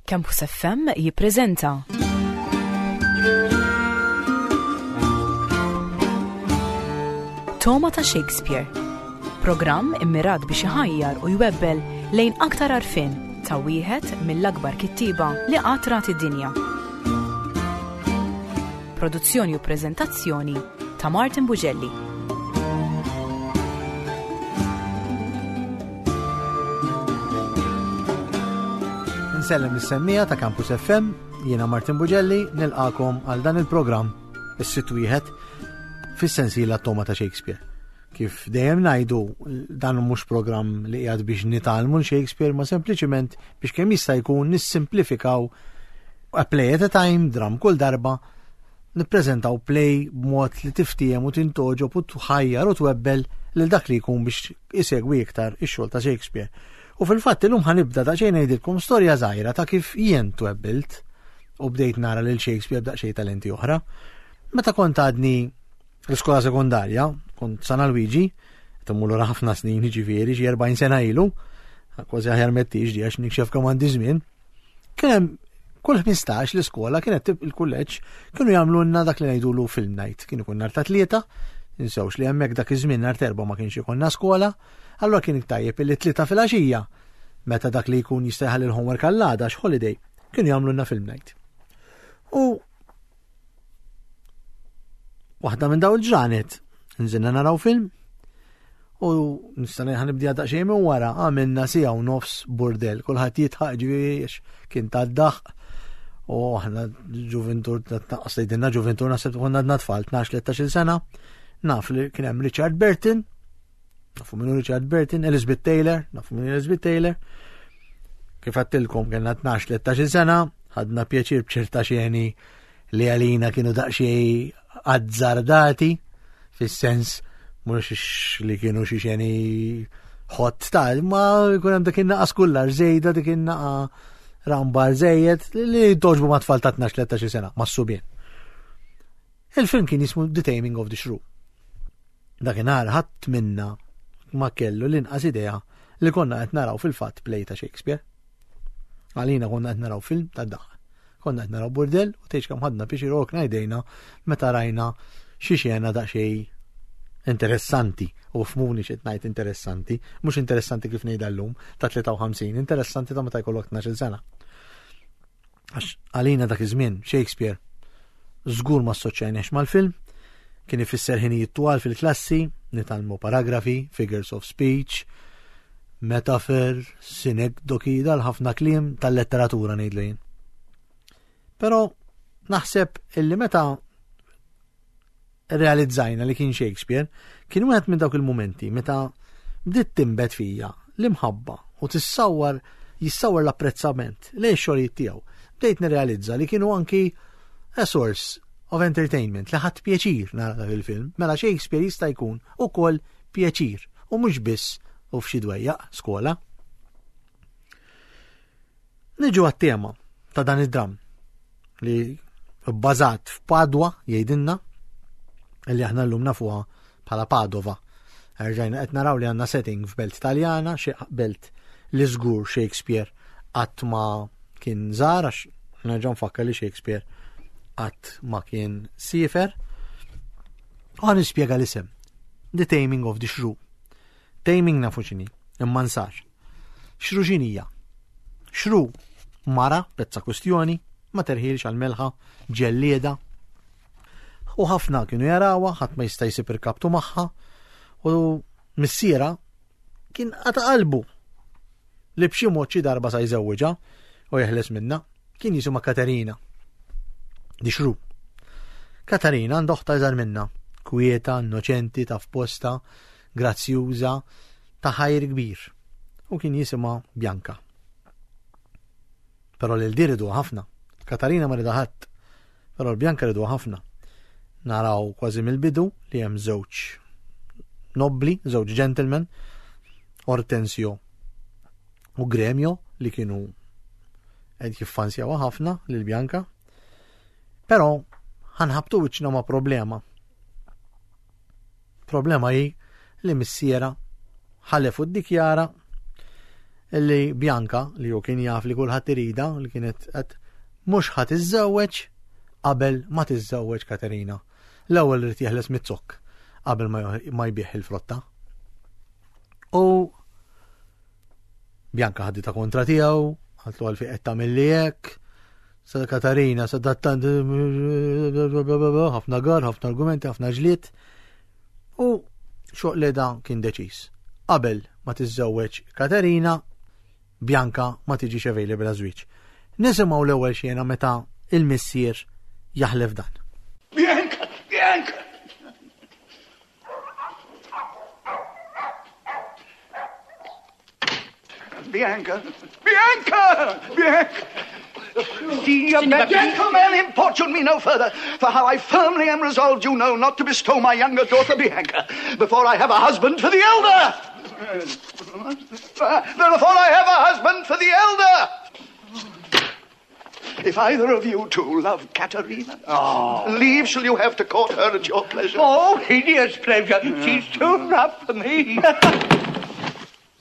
Campus FM jippreżenta Toma ta' Shakespeare. Programm immirat biex iħajjar u jwebbel lejn aktar għarfien ta' wieħed mill-akbar kittieba li qatt rat id-dinja. Produzzjoni u preżentazzjoni ta' Martin Bugelli. Nsellem lis-semmija ta' Campus FM, jiena Martin Bugelli, nilqakom għal dan il-programm is-sitt wieħed fis-sensiela Toma ta' Shakespeare. Kif dejjem ngħidu, dan mhux programm li qiegħed biex nitgħallmu Shakespeare, ma sempliċiment biex kemm jista' jkun nissimplifikaw a play at a time, dram kull darba, nippreżentaw play b'mod li tiftiehem u tintgħoġob u tħajjar u twebbel lil dak li jkun biex isegwi iktar ix-xogħol ta' Shakespeare. U fil-fatt illum ħanibda daqsxejn ngħidilkom storja żgħira ta' kif jien twebbilt u bdejt nara lil Shakespeare b'daqsxejn talenti oħra. Meta kont għadni l-iskola sekondarja, kont San Alwiġi, temmur lura ħafna snin, ġifieri xi 40 sena ilu, kważi aħjar mettix di għax nikxef kemm għandi żmien. Kien hemm kull 15 l-iskola kienet il-kulleġġ kienu jagħmlulna dak li ngħidulu film night. Kien ikun nhar ta' tlieta, insewx li hemmhekk dak iż-żmien nhar terba ma kienx ikollna skola, allura kien tajjeb illi tlieta filgħaxija meta dak li jkun jista' jħalli l-homework għall-għada holiday, kienu jagħmlulna film night. U Waħda minn daw il-ġranet, nżilna naraw film, u nista' ħanibdi daqsxejn minn wara għamilna sija u nofs burdel, kulħadd jitħaq ġifieri kien tad-daħq u aħna ġuventur tnaqqas tgħidilna ġuventur naħseb konna għadna tfal 12-13 sena, naf li kien hemm Richard Burton, nafu minnu Richard Burton, Elizabeth Taylor, nafu minnu Elizabeth Taylor. Kif għattilkom kellna 12-13 sena, ħadna pjaċir b'ċerta xeni li għalina kienu daqsxejn azzardati, fis-sens mhux li kienu xi xeni ħott ta' ma jkun hemm dik in-naqa skullar żejda dik in-naqa rambar żejjed li toġbu ma' tfal ta' 12-13 sena, ma' subien. Il-film kien jismu The Taming of the Shrew. Dakinhar ħadd minna ma kellu l-inqas idea li konna qed naraw fil-fatt play ta' Shakespeare. Għalina konna qed naraw film ta' daħ. Konna qed naraw burdell u tgħidx kemm ħadna biex irokna jdejna meta rajna xi xena daqsxejn interessanti u fmuni xi ngħid interessanti, mhux interessanti kif ngħidha llum ta' 53, interessanti ta' meta jkollok 12 sena. Għax għalina dak iż-żmien Shakespeare żgur ma assoċjajniex mal-film, kien ifisser ħinijiet twal fil-klassi, nitgħallmu paragrafi, figures of speech, metafer, sinekdoki, dal-ħafna kliem tal-letteratura ngħidlu jien. Però naħseb illi meta realizzajna li kien Shakespeare, kien wieħed minn dawk il-mumenti meta bdiet tinbet fija l-imħabba u tissawwar jissawwar l-apprezzament lejn xogħlijiet tiegħu. Bdejt nirrealizza li kienu anki a source of entertainment li ħadd pjaċir nara dak il-film. Mela Shakespeare jista' jkun ukoll pjaċir u mhux biss u f'xi dwejjaq skola. Niġu għat-tema ta' dan id-dram li bbażat f'Padwa jgħidilna li aħna llum nafuha bħala Padova. Erġajna qed naraw li għandna setting f'belt Taljana, xi belt li żgur Shakespeare qatt ma kien żar għax nerġa' nfakkar li Shakespeare qatt ma kien siefer. U għan nispjega l-isem. The Taming of the Shrew. Taming nafu x'inhi, imma nsar. Xru x'inhija? Xru mara, pezza kwistjoni, ma terħilx għal melħa, ġellieda. U ħafna kienu jarawha, ħadd ma jista' jsib irkabtu magħha, u missiera kien qata' qalbu li b'xi mod xi darba sa jżewwiġha u jeħles minnha. Kien jisimha Katerina. Dixru. Katarina għandha oħta iżgħar minnha, kwieta, innoċenti, taf posta, grazzjuża, ta' ħajr kbir. U kien jisimha Bianca. Però lil di riduha ħafna. Katarina ma rida ħadd. Però l-Bianca riduha ħafna. Naraw kważi mill-bidu li hemm żewġ nobbli, żewġ gentlemen, Hortensio u Gremio li kienu qed jiffansjawha ħafna lil Bianca. Però ħanħabtu wiċċna ma' problema. Problema hi li missiera ħalef u ddikjara li Bianca, li hu kien jaf li kulħadd irida, li kienet qed mhux ħa tiżżewweġ qabel ma tiżżewweġ Katerina. L-ewwel irid jeħles mit-zokk qabel ma jbigħ il-frotta. U Bianca ħadita kontra tiegħu, għaltlu għalfi qed tagħmel hekk, sa Katarina, sa dattant ħafna gar, ħafna argumenti, ħafna ġlied. U xoq li da kien deċiż. Qabel ma tiżżewweġ Katerina, Bianca ma tiġix available għaż-żwieġ. Nisimgħu l-ewwel xena meta il-missier jaħlef dan. Bianca, Bianca! Bianca! Bianca! Bianca! Signor Gentlemen, importune me no further, for how I firmly am resolved, you know, not to bestow my younger daughter Bianca before I have a husband for the elder. Before I have a husband for the elder. If either of you two love Katerina, oh. leave shall you have to court her at your pleasure. Oh, hideous pleasure. She's too rough for me.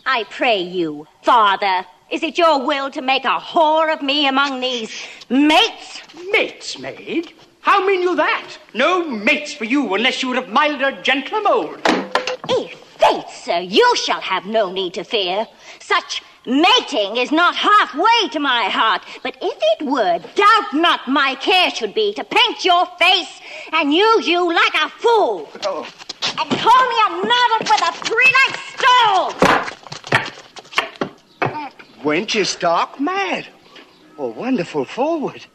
I pray you, father, is it your will to make a whore of me among these mates? Mates, maid? How mean you that? No mates for you unless you were of milder, gentler mold. If faith, sir, you shall have no need to fear. Such mating is not halfway to my heart, but if it were, doubt not my care should be to paint your face and use you like a fool. Oh. And call me a novice with a three-legged stool. That wench is stark mad, or wonderful forward.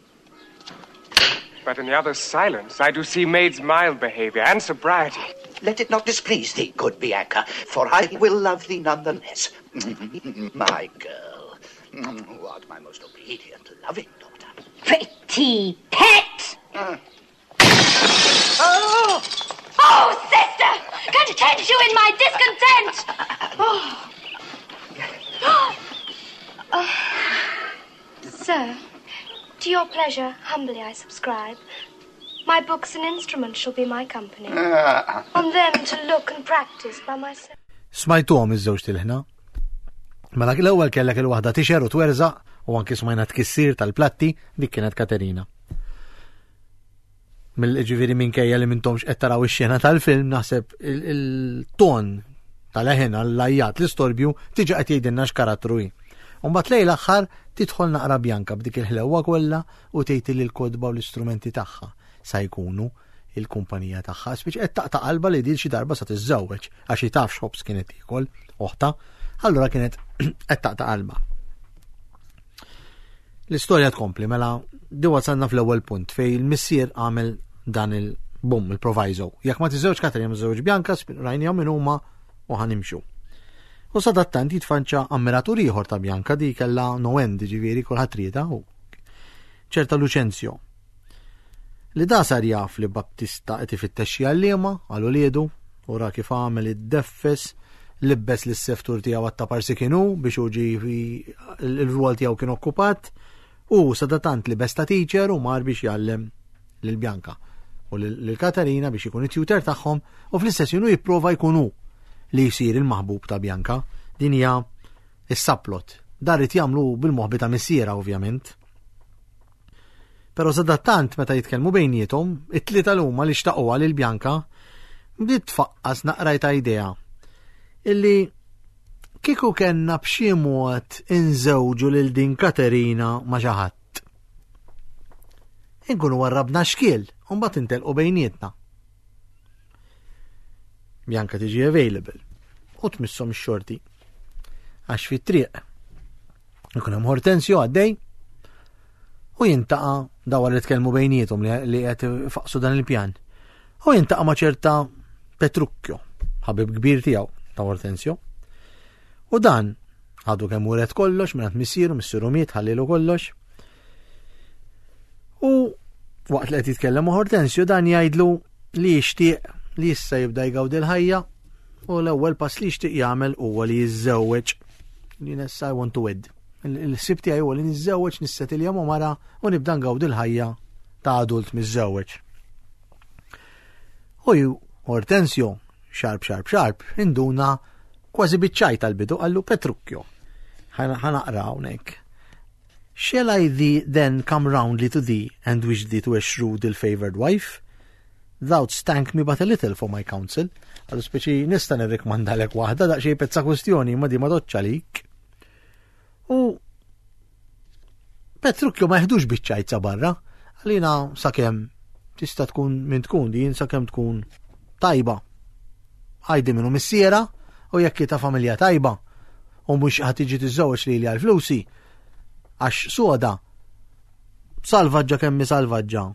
But in the other's silence, I do see maid's mild behavior and sobriety. Let it not displease thee, good Bianca, for I will love thee none the less. My girl, who art my most obedient, loving daughter. Pretty pet! Oh! Oh, sister! Content you in my discontent! Oh. Oh. Sir, to your pleasure, humbly I subscribe. My books and instruments shall be my company. On them to look and practice by myself. Smajtuhom iż-żewġ tilħna. Mela l-ewwel kellek il-waħda tixer u twerżaq u anki smajna tkissir tal-platti dik kienet Katerina. Mill-ġifieri minkejja li mintomx qed taraw ix-xena tal-film naħseb il-ton tal-eħen għall-ajjat l-istorbju tiġi qed jgħidilna x'karattru hi. Mbagħad lejn l-aħħar tidħol naqra Bjanka b'dik il-ħlewwa kollha u tgħid li l-kotba u l-istrumenti tagħha sa jkunu il-kumpanija tagħha. Spiċ qed taqta' qalba li din xi darba sa tiżżewweġ għax hi taf x'ħobż kienet tiekol oħta, allura kienet qed taqta' qalba. L-istorja tkompli mela di wasalna fl-ewwel punt fej il-missier għamel dan il-bum, il-proviso. Jekk ma tiżewġ Katrina ma tiżewġ Bianca, rajnihom min huma u ħanimxu. U sadattant jitfanċa ammiratur ieħor ta' Bianca di kellha no end, ġifieri kulħadd rieda u ċerta Lucenzio. Li da sar jaf li Baptista qed ifittex xi għalliema għal uliedu u ra kif għamel id-deffes libbes lis seftur tiegħu għatta parsi kienu biex hu ġi il-rwol tiegħu kien okkupat u sadatant li besta teacher u mar biex jgħallem lil Bianca u lil Katarina biex ikun it-tutor tagħhom u fl-istess jenu jipprova jkun hu li jsir il-maħbub ta' Bianca. Din hija is-subplot. Dar irid jagħmlu bil-moħbi ta' missiera ovvjament. Però sadattant meta jitkellmu bejniethom, it-tlieta l huma li xtaquha lil Bianca bdiet tfaqqas naqra ta' idea illi kieku kellna b'xi mod inżewġu lil din Katerina ma' xi ħadd. Inkunu warrabna xkiel u mbagħad intelqu bejnietna. Bianca tiġi available u tmisshom ix-xorti. Għax fit-triq ikun hemm Hortensio għaddej u jintaqa' dawa li tkellmu bejniethom li qed faqsu dan il-pjan. U jintaqa' ma' ċerta Petrucchio, ħabib kbir tiegħu ta' Hortensio. U dan għadu kemm uret kollox minn missieru, missieru miet ħallilu kollox. U waqt li qed jitkellem ma' Hortensio dan jgħidlu li jixtieq li issa jibda jgawdi l-ħajja u l-ewwel pass li jixtieq jagħmel huwa li jiżżewweġ. Jien issa I want to wed. Il-ħsieb tiegħi huwa li niżżewweġ nissetilja ma' mara u nibda ngawdi l-ħajja ta' adult miżżewweġ. U Hortensio, xarb xarb xarb, induna kważi biċ-ċajt tal-bidu qallu Petrucchio. Ħanaqra hawnhekk. Shall I thee then come roundly to thee and wish thee to a shrewd ill-favoured wife? Thou'dst thank me but a little for my counsel. Għallu speċi nista' nirrikmandalek waħda daqsxejn pezza kwestjoni ma di ma doċċa lik. U Petrucchio ma jeħdux biċ-ċajt sa barra, għalina sakemm tista' tkun min tkun din sakemm tkun tajba. Għajdi minnu missiera u jekk ta' familja tajba u mhux ħad tiġi tiżżewweġ lili għal flusi għax soda salvaġġa kemm salvaġġa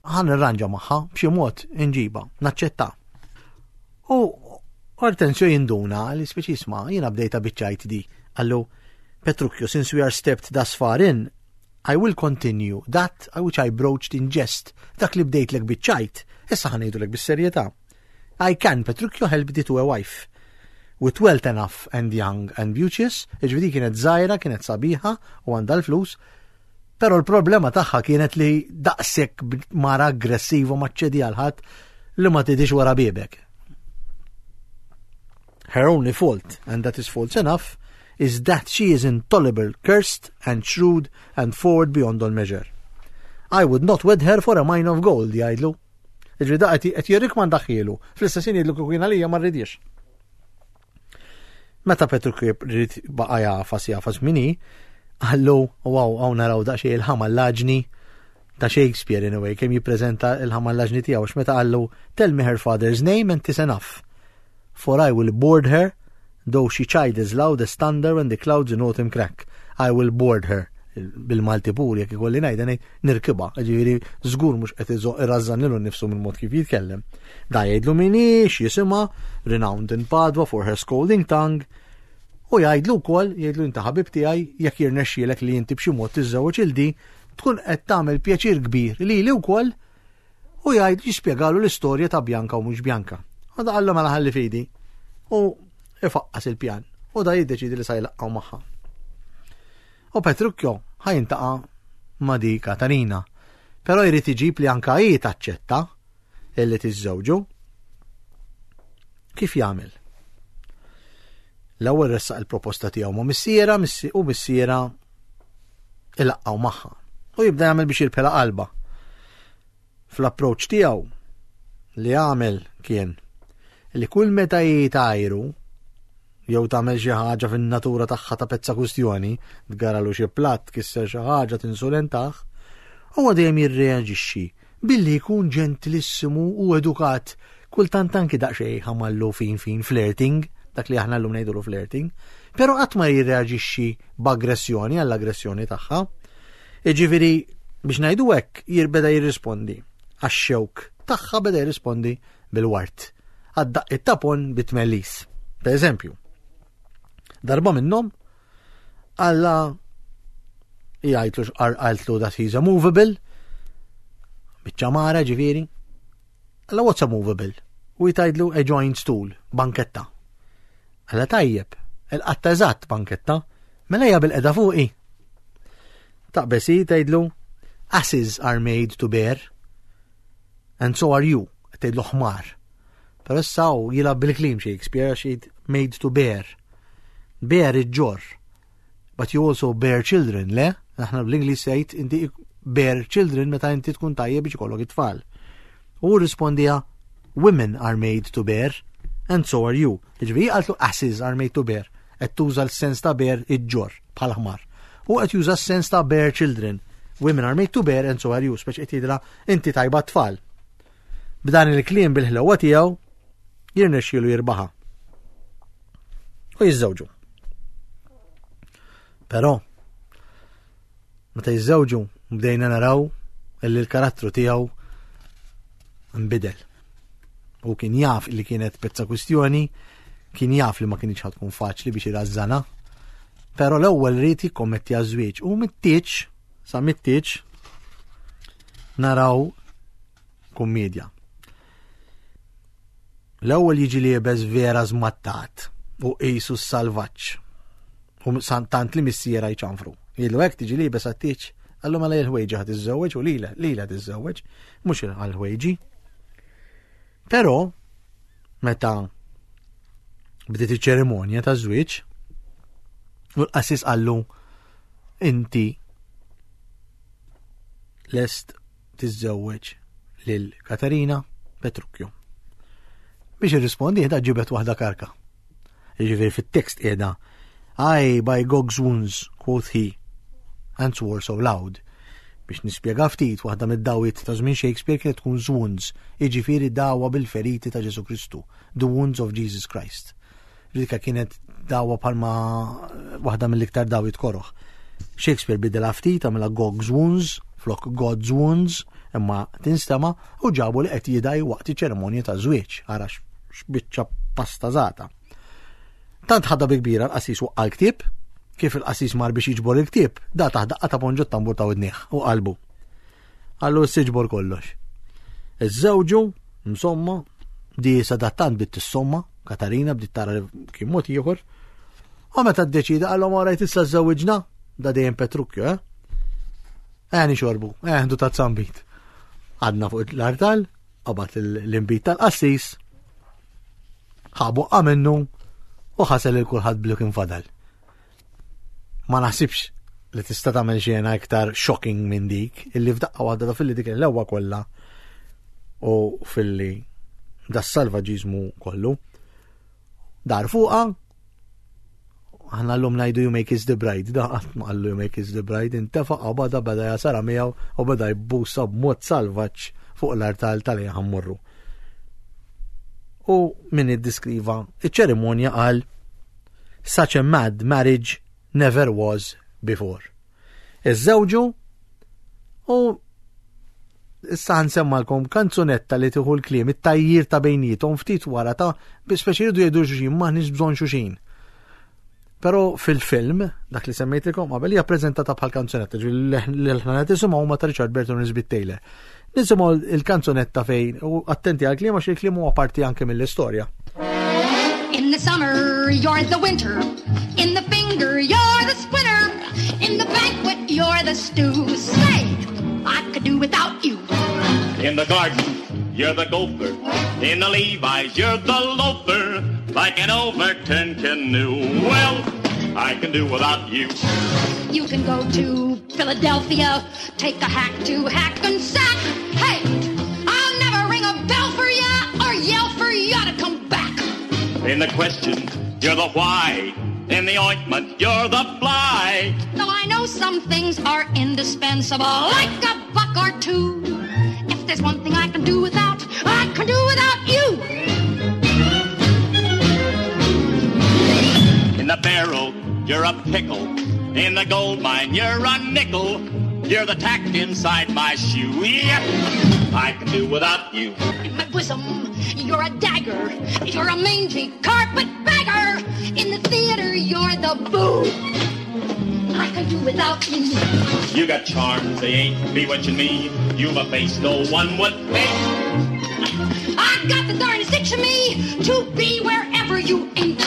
ħan irranġa magħha b'xi mod inġiba, naċċetta. U Hortensio jinduna li speċi isma' jiena bdejta biċċajt di. Allu, Petrucchio, since we are stepped thus far in, I will continue that which I broached in jest. Dak li bdejtlek biċċajt, issa ħa ngħidulek bis-serjetà. I can, Petrucchio, help thee to a wife. With wealth enough and young and beauteous, ġvidi kienet żgħira, kienet sabiħa u għandha l-flus, Però l-problema tagħha kienet li daqshekk mara aggressiva ma ċċedi għal ħadd li ma tidix wara biebek. Her only fault, and that is fault enough, is that she is intolerable, cursed and shrewd and forward beyond all measure. I would not wed her for a mine of gold, jgħidlu. Iġri da qed jirrikmandaħielu, fl-istess jien jgħidlu kieku jien għalija ma rridix. Meta Petru ried baqa' jagħfas jagħfas min hi, qallu wow hawn naraw daqsxejn il-ħamallaġni ta' Shakespeare in a way, kemm jippreżenta il-ħamallaġni tiegħu għax meta qallu tell me her father's name and 'tis enough. For I will board her, though she chide as loud as thunder when the clouds in autumn crack. I will board her. Bil-Malti pur jekk ikolli ngħidha ngħid nirkibha, ġifieri żgur mhux qed irażżan lilu nnifsu mill-mod kif jitkellem. Da jgħidlu min hi, x'jisimha, renowned in Padua for her scolding tongue, u jgħidlu wkoll, jgħidlu inta ħabib tiegħi jekk jirnexxielek li inti b'xi mod tiżżewweġ il di, tkun qed tagħmel pjaċir kbir lili wkoll u jgħid jispjegalu l-istorja ta' Bjanka u mhux Bjanka. U da qallu mela ħalli fidi u ifaqqas il-pjan u da jiddeċidi li sa jlaqqgħu magħha. U Petrucchio ħa jintaqa' ma' di Katarina. Però jrid iġib li anka hi taċċetta illi tiżżewġu. Kif jagħmel? L-ewwel ressaq il-proposta tiegħu ma' missiera u missiera ilaqqgħu magħha. U jibda jagħmel biex jirbħilha qalba. Fl-approċċ tiegħu li għamel kien li kull meta hi tajru jew tagħmel xi ħaġa fin-natura tagħha ta' pezza kwistjoni, tgaralu xi platt, tkisser xi ħaġa, tinsulentah, huwa dejjem jirreaġixxi billi jkun ġentilissimu u edukat, kultant anki daqsxejn ħamallu fin fin flirting, dak li aħna llum ngħidulu flirting, però qatt ma jirreaġixxi b'aggressjoni għall-aggressjoni tagħha. Jiġifieri biex ngħidu hekk beda jirrispondi għax-xewk tagħha beda jirrispondi bil-ward. Għad-daqqiet ta' pon bit-tmellis. Per eżempju, darba minnhom Alla jgħidlu qaltlu that he's a movable, biċċa mara ġifieri. Alla what's a movable? U jtajdlu a joint stool, banketta. Alla tajjeb, il-qatta eżatt banketta, mela hija bil-qeda fuqi. Taqbes hi tgħidlu asses are made to bear and so are you, tgħidlu ħmar. Però issa hu jilgħab bil-kliem Shakespeare għax jgħid made to bear. Bear iġġorr. But you also bear children, le? Aħna bl-Ingliż jgħid inti bear children meta inti tkun tajjeb biex ikollok it-tfal. U rispondija women are made to bear and so are you. Ġifieri qaltlu asses are made to bear. Qed tuża l-sens ta' bear iġġorr bħal ħmar. U qed juża s-sens ta' bear children. Women are made to bear and so are you. Speċi qed jgħidilha inti tajba t-tfal. B'dan il-kliem bil-ħlewwa tiegħu jirnexxielu jirbaħa. U jiżżewġu. Però meta jiżżewġu bdejna naraw li l-karattru tiegħu nbidel. U kien jaf li kienet pezza kwistjoni, kien jaf li ma kienx tkun faċli biex irażżana, però l-ewwel ried jikkommetti għaż-żwieġ u mit-tieġ Sa mit-tieġ naraw kummedja. L-ewwel jiġi liebes vera żmattat u qisu s-salvaġġ. U tant li missiera jċanfru. Jgħidlu hekk tiġi liebes għat-tieġ, għallu mela il-ħwejġi ħad iżżewweġ u lila, lila tiżżewweġ, mhux għal-ħwejġi. Però meta bdiet iċ-ċerimonja ta' żwieġ, U l-qassis qallu inti lest tiżżewweġ lil Katarina Petrucchio. Biex irrispondi qiegħda ġibet waħda karka. Jiġifieri fit-tekst qiegħda I by Gog's wounds, quoth he, and swore so loud. Biex nispjega ftit, waħda mid-dawiet ta' żmien Shakespeare kienet tkun wounds, jiġifieri dawa bil-feriti ta' Ġesu Kristu, the wounds of Jesus Christ. Dika kienet dawa bħalma waħda mill-iktar dawiet koroħ. Shakespeare bidela ftit għamilha Gog's Wounds flok God's Wounds imma tinstema u ġabu li qed jidaj waqt iċ-ċerimonja ta' żwieġ ara x'biċċa pasta żata. Tant ħadha bi kbira l-qassis waqqa' l-ktieb, kif il-qassis mar biex jiġbor il-ktieb, da taħ daqqa ta' ponġu tambur ta' widnieh u qalbu. Għallu s-siġbor kollox. Iż-żewġu, insomma, di sadattant bdiet tissomma, Katarina bdiet tara li kien mod ieħor. U meta ddeċida qalhom orajt issa żewġna, da dejjem Petrucchio, eh? Eh nixorbu, eh ħdu ta' zambit. Għadna fuq l-artal, qabad l-imbit tal-qassis, ħabu minnu u ħasel il kulħadd blu kien fadal. Ma naħsibx li tista' tagħmel xena iktar shocking minn dik illi f'daqqa waħda da filli dik l-ewwa kollha u filli da salvaġiżmu kollu. Dar fuqa aħna l-lum najdu you make is the bride, da qatt ma qallu you make is the bride, intefa' qabada beda jasara miegħu u beda jbusa b'mod salvaġġ fuq l-artal tal-li ħammurru. U min iddiskriva iċ-ċerimonja qal Such a mad marriage never was before. Iżżewġu u issa ħansemmalkom kanzunetta li tieħu l-kliem it-tajjir ta' bejnietom ftit wara ta' speċi jridu jgħidu xuxin maħniex bżonn xuxin. Però fil-film, dak li semmejtilkom qabel, hija preżentata bħal kanzunetta, li l-ħna qed nisimgħu huma ta' Richard Burton u Elizabeth Taylor. Nisimgħu il-kanzunetta fejn u attenti għal kliem għax il-kliem huwa parti anke mill-istorja. In the summer, you're the winter. In the finger, you're the splinter. In the banquet, you're the stew. Say, I could do without you. In the garden, you're the gopher. In the Levi's, you're the loafer. Like an overturned canoe. Well, I can do without you. You can go to Philadelphia, take a hack to Hackensack. Hey, I'll never ring a bell for ya or yell for ya to come back. In the question, you're the why. In the ointment, you're the fly. Though I know some things are indispensable, like a buck or two. If there's one thing I can do without, I can do without you. In the barrel, you're a pickle. In the gold mine, you're a nickel. You're the tack inside my shoe. Yep, I can do without you. In my bosom, you're a dagger. You're a mangy carpetbagger. In the theater, you're the boo. I can do without you. You got charms, they ain't bewitching me. You've a face no one would pick. I got the darndest itch in me to be wherever you ain't.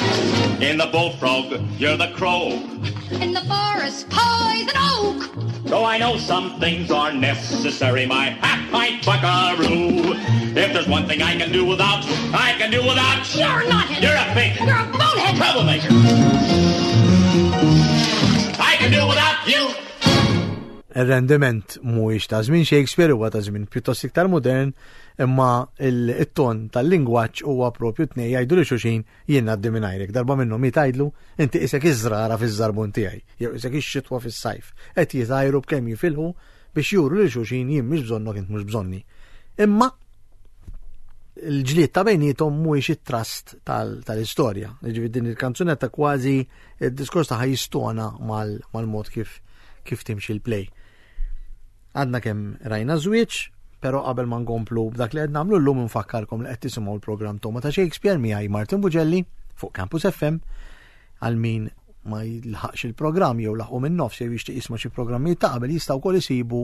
In the bullfrog, you're the crow. In the forest, poison oak. Though I know some things are necessary, my half-pint buckaroo. If there's one thing I can do without, I can do without. You're a knothead. You're a fake. You're a bonehead. Troublemaker. I can do without you. Ir-rendiment mhuwiex ta' żmien Shakespeare huwa ta' żmien pjuttost iktar modern, imma il-ton tal-lingwaġġ huwa propju tnej jgħidu li xuxin jien ngħaddi mingħajrek. Darba minnhom hi tgħidlu inti isek iż-żrara fiż-żarbun tiegħi, jew isek ix-xitwa fis-sajf. Qed jitgħajru b'kemm jifilħu biex juru lil xulxin jien mhix bżonnok int mhux bżonni. Imma il-ġlied ta' bejnietom mhuwiex it-trust tal-istorja. Jiġifieri din il-kanzunetta kważi id-diskors tagħha jistona mal-mod kif kif timxi l-play. Għadna kemm rajna żwieġ, però qabel ma nkomplu b'dak li qed nagħmlu llum nfakkarkom li qed tisimgħu l-programm Toma ta' Shakespeare miegħi Martin Bugelli fuq Campus FM għal min ma jilħaqx il-programm jew laħqu minn nofs jew jixtieq jisma' xi programmi ta' qabel jistgħu wkoll isibu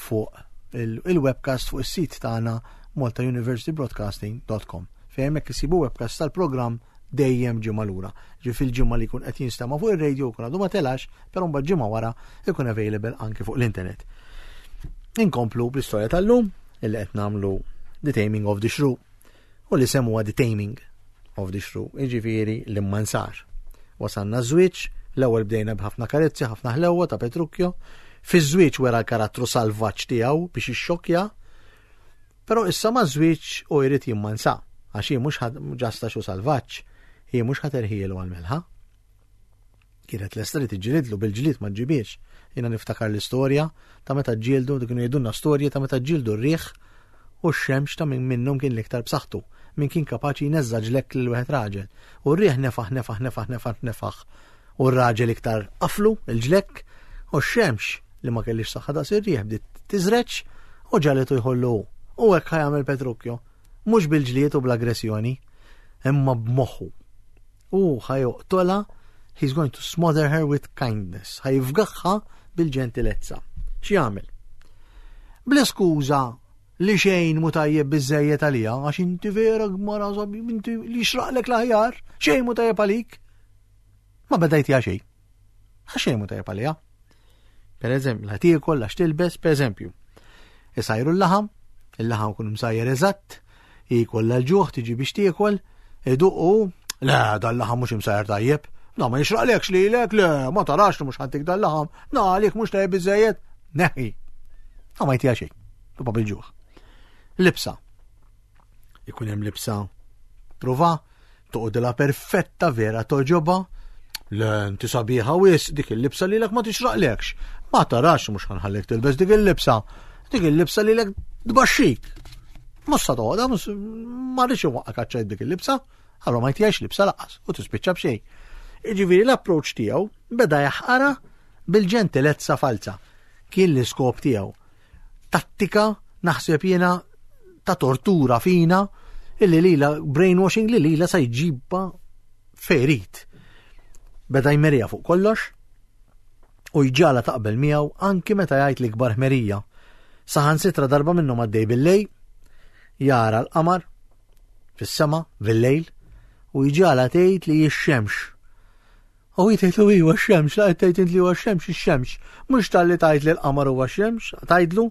fuq il-webcast fuq is-sit tagħna maltauniversitybroadcasting.com fejn hemmhekk isibu webcast tal-programm dejjem ġimgħa lura. Ġi fil-ġimgħa li jkun qed jinstema' fuq ir-radio jkun għadu ma telax, però mbagħad ġimgħa wara jkun available anki fuq l-internet. Inkomplu bl-istorja tal-lum illi qed nagħmlu The Taming of the Shrew u li huwa The Taming of the Shrew, jiġifieri l-immansar. Wasanna żwieġ, L-ewwel bdejna b'ħafna karezzi, ħafna ħlewwa ta' Petrucchio. Fiż-żwieġ wera l-karattru salvaġġ tiegħu biex ixxokkja. Però issa maż-żwieġ u jrid jimmansa, għax hi mhux ġasta xu salvaġġ, hi mhux ħaterħielu għal-melħa. Kienet lesta li tiġġilidlu bil-ġlied ma ġġibiex. Jiena niftakar l-istorja ta' meta ġġieldu, kienu jgħidulna storji ta' meta ġġieldu r-riħ u x-xemx ta' min minnhom kien l-iktar b'saħħtu, min kien kapaċi jneżża' ġlekk lil wieħed raġel. U r-riħ nefaħ nefaħ nefaħ nefaħ nefaħ u r-raġel iktar qaflu il-ġlekk u x-xemx li ma kellix saħħa daqs ir-riħ bdiet tiżreġ u ġagħlitu jħollu hu. U hekk ħa jagħmel Petrucchio, mhux bil-ġlied u bl-aggressjoni, imma b'moħħu. Hu ħa joqtolha, he's going to smother her with kindness, ħa jifgaħha bil-ġentilezza. X'jagħmel? Bl-iskuża li xejn mu tajjeb biżejjed għalija, għax inti vera gmara sabi, inti li xraqlek l-aħjar, xejn mu tajjeb għalik. Ma beda jtiha xejn. Għax xejn mu tajjeb għalija. Per eżempju, la tiekol, la x'tilbes, per eżempju. Isajru l-laħam, il-laħam kun msajjer eżatt, jkollha l-ġuħ tiġi biex tiekol, iduqu, le, dal-laħam mhux imsajjer tajjeb, na ma jixraqlekx lilek, le, ma tarax li mhux ħantik dal-laħam, na għalik mhux tajjeb biżejjed, neħi. Na ma jtiha xejn, tibqa' bil-ġuħ. Libsa. Ikun hemm libsa prova, toqgħodilha perfetta vera toġoba, le inti sabiħa wis dik il-libsa lilek ma tixraqlekx. Ma tarax mhux ħanħallek tilbes dik il-libsa. Dik il-libsa lilek tbaxxik. Mhux sa toqgħodha, ma rridx inwaqqa kaċċajt dik il-libsa, allura ma jtijiex libsa laqas u tispiċċa b'xejn. Jiġifieri l-approċċ tiegħu beda jaħqara bil-ġentilezza falza. Kien l-iskop tiegħu. Tattika naħseb jiena ta' tortura fina illi lila brainwashing li lila sa jġibba ferit. Beda jmerija fuq kollox u jġala taqbel miegħu anki meta jgħid l-ikbar ħmerija. Saħansitra darba minnhom għaddej bil-lejl, jara l-qamar fis-sema bil-lejl u jġala tgħid li x-xemx U hi tgħidlu iwa x-xemx, la qed tgħid int li huwa x-xemx, ix-xemx. Mhux talli tgħid li l-qamar huwa x-xemx, tgħidlu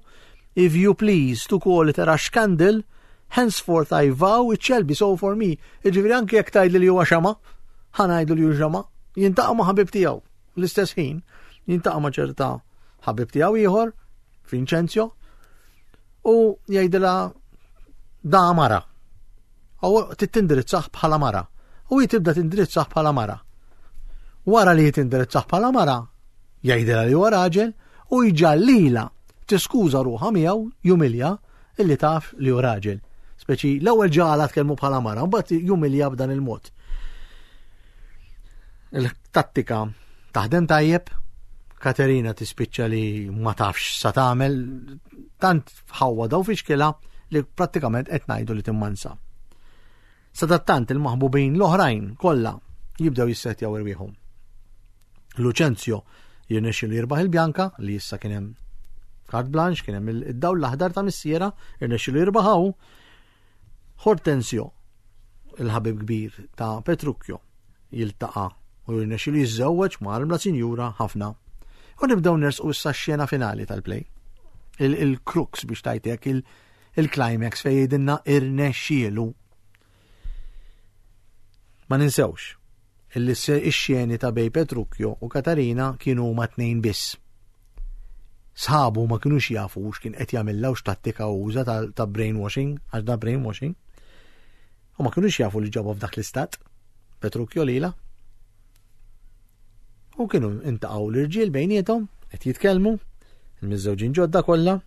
if you please to call it a rush candle, henceforth I vow it shall be so for me. Jiġifieri anke jekk tgħidli li huwa xema, ħa ngħidlu li hu xema, jintaqa' ma' ħabib tiegħu. L-istess ħin, jintaqa' ma' ċerta ħabib tiegħu ieħor, Vincenzio, u jgħidilha da mara. U titindirizzah bħala mara. U hi tibda tindirizzah bħala mara. Wara li tindirizzah bħala mara, jgħidilha li huwa raġel u jġallila tiskuża ruħha miegħu jumilja illi taf li hu raġel. Speċi l-ewwel ġala tkellmu bħala mara, mbagħad jumilja b'dan il-mod. Il-tattika taħdem tajjeb, Katerina tispiċċa li ma tafx sa tagħmel, tant ħawwa daw fixkilha li prattikament qed ngħidu li timmansa. Sadattant il-maħbubin l-oħrajn kollha jibdew jissetjaw irwieħhom. Lucenzio jirnexxi li jirbaħ il-Bjanka li issa kien hemm carte blanche, kien hemm id-dawl l-aħdar ta' missiera, irnexxi li jirbaħaw. Hortensio, il-ħabib kbir ta' Petrucchio, jiltaqa' u jirnexxilu jiżżewweġ ma' armla sinjura ħafna. U nibdew nersqu issa x-xena finali tal-play. Il-crux biex tajtek il-climax fejn jgħidilna irnexxielu. Ma ninsewx illi x-xeni ta' bej Petrucchio u Katarina kienu huma tnejn biss. Sħabu ma kinux jafu x'kien qed jagħmilha u x'tattika uża ta' brainwashing, għax da brainwashing. U ma kinux jafu li ġabha f'dak l-istat, Petrucchio lila. U kienu intaqgħu l-irġiel bejniethom qed jitkellmu, il-miżżewġin ġodda kollha.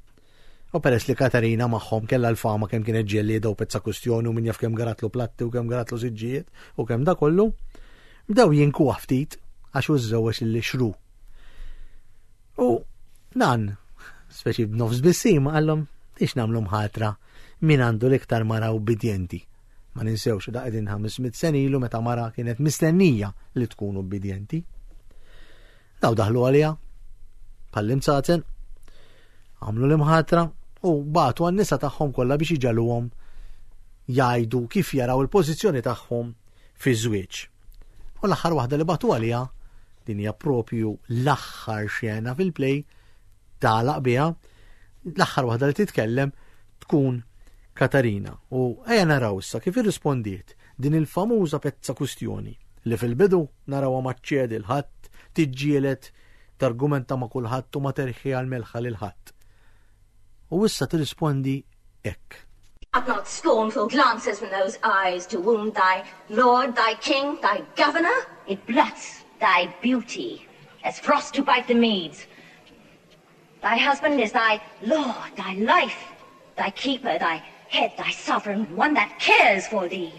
U peress li Katarina magħhom kellha l-fama kemm kienet ġellieda u pezza kustjoni u min jaf kemm garatlu platti u kemm garatlu siġġijiet u kemm da kollu, bdew jinkuha ftit għax hu żżewweġ lil xru. U nan, speċi b'nofs bissima għallhom biex nagħmlu mħatra min għandu l-iktar mara ubbidjenti. Ma ninsewx da qegħdin 500 sen ilu meta mara kienet mistennija li tkun ubbidjenti. Daw daħlu għaliha bħall-imzazen, għamlu l-imħatra u bagħtu għan-nisa tagħhom kollha biex iġaluhom jgħidu kif jaraw il-pożizzjoni tagħhom fiż-żwieġ. U l-aħħar waħda li bagħtu għaliha din hija propju l-aħħar xena fil-play tagħlaq biha, l-aħħar waħda li titkellem tkun Katarina. U ejja naraw issa kif irrispondiet din il-famuża pezza kustjoni li fil-bidu narawha ma ċċedi l-ħadd, tiġġieled targumenta ma' kulħadd u ma terħi għal melħa lil ħadd. U issa tirrispondi hekk. Art not scornful glances from those eyes to wound thy lord, thy king, thy governor? It blots thy beauty, as frost to bite the meads. Thy husband is thy lord, thy life, thy keeper, thy head, thy sovereign, one that cares for thee.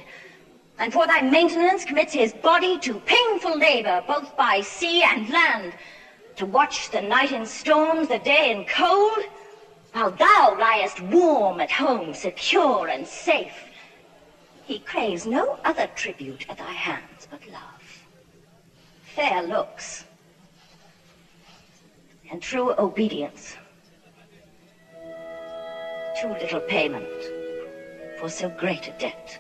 And for thy maintenance commits his body to painful labor, both by sea and land, to watch the night in storms, the day in cold, while thou liest warm at home, secure and safe. He craves no other tribute at thy hands but love, fair looks, and true obedience. Too little payment for so great a debt.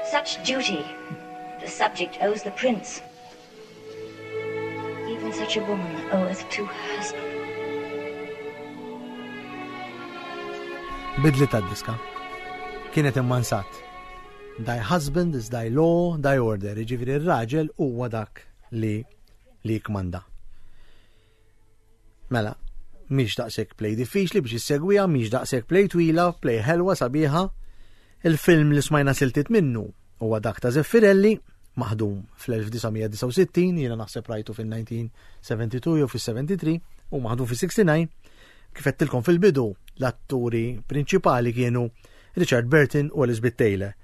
Such duty the subject owes the prince. Even such a woman oweth to her husband. Bidli ta' diska. Kienet immansat. Thy husband is thy law, thy order. Jiġifieri r-raġel huwa dak li li jikmanda. Mela, mhix daqshekk play diffiċli biex issegwiha, mhix daqshekk play twila, play ħelwa sabiħa. Il-film li smajna siltiet minnu huwa dak ta' Zeffirelli, maħdum fl-1969, jiena naħseb rajtu fil-1972 jew fil-73, u maħdum fil-69. Kif għedtilkom fil-bidu, l-atturi prinċipali kienu Richard Burton u Elizabeth Taylor,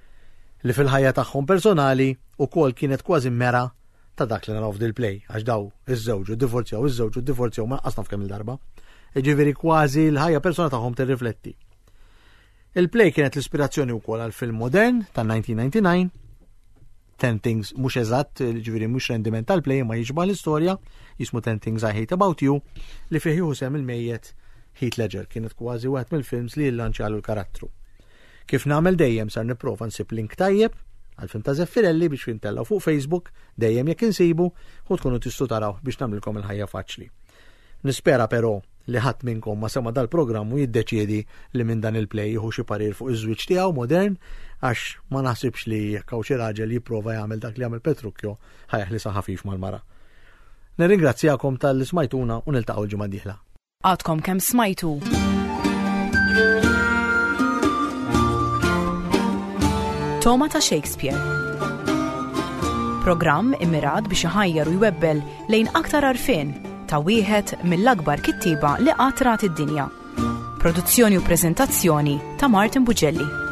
li fil-ħajja tagħhom personali ukoll kienet kważi mera ta' dak li naraw f'dil-play, għax daw iż-żewġ u divorzjaw, iż-żewġ u divorzjaw ma naqas naf kemm il-darba. Jiġifieri kważi l-ħajja persona tagħhom tirrifletti. Il-play kienet l-ispirazzjoni wkoll għal film modern ta' 1999, Ten Things mhux eżatt, ġifieri mhux rendiment tal-play ma jiġba l-istorja, jismu Ten Things I Hate About You, li fih jieħu sehem il-mejjet Heath Ledger, kienet kważi wieħed mill-films li jillanċjalu l-karattru. Kif nagħmel dejjem sar nipprova nsib link tajjeb għal-film ta' Zeffirelli biex jintellaw fuq Facebook, dejjem jekk insibu, u tkunu tistgħu taraw biex nagħmlilkom il-ħajja faċli. Nispera però li ħadd minnkom ma sema dal-programm u jiddeċiedi li minn dan il-play jieħu xi parir fuq iż-żwieġ tiegħu modern għax ma naħsibx li jekk hawn xi raġel jipprova jagħmel dak li jagħmel Petrucchio ħa jeħlisha ħafif mal-mara. Nirringrazzjakom talli smajtuna u niltaqgħu l-ġimgħa d-dieħla. Għadkom kemm smajtu. Toma ta' Shakespeare. Programm immirat biex iħajjar u jwebbel lejn aktar għarfien ta' wieħed mill-akbar kittieba li qatt rat id-dinja. Produzzjoni u preżentazzjoni ta' Martin Bugelli.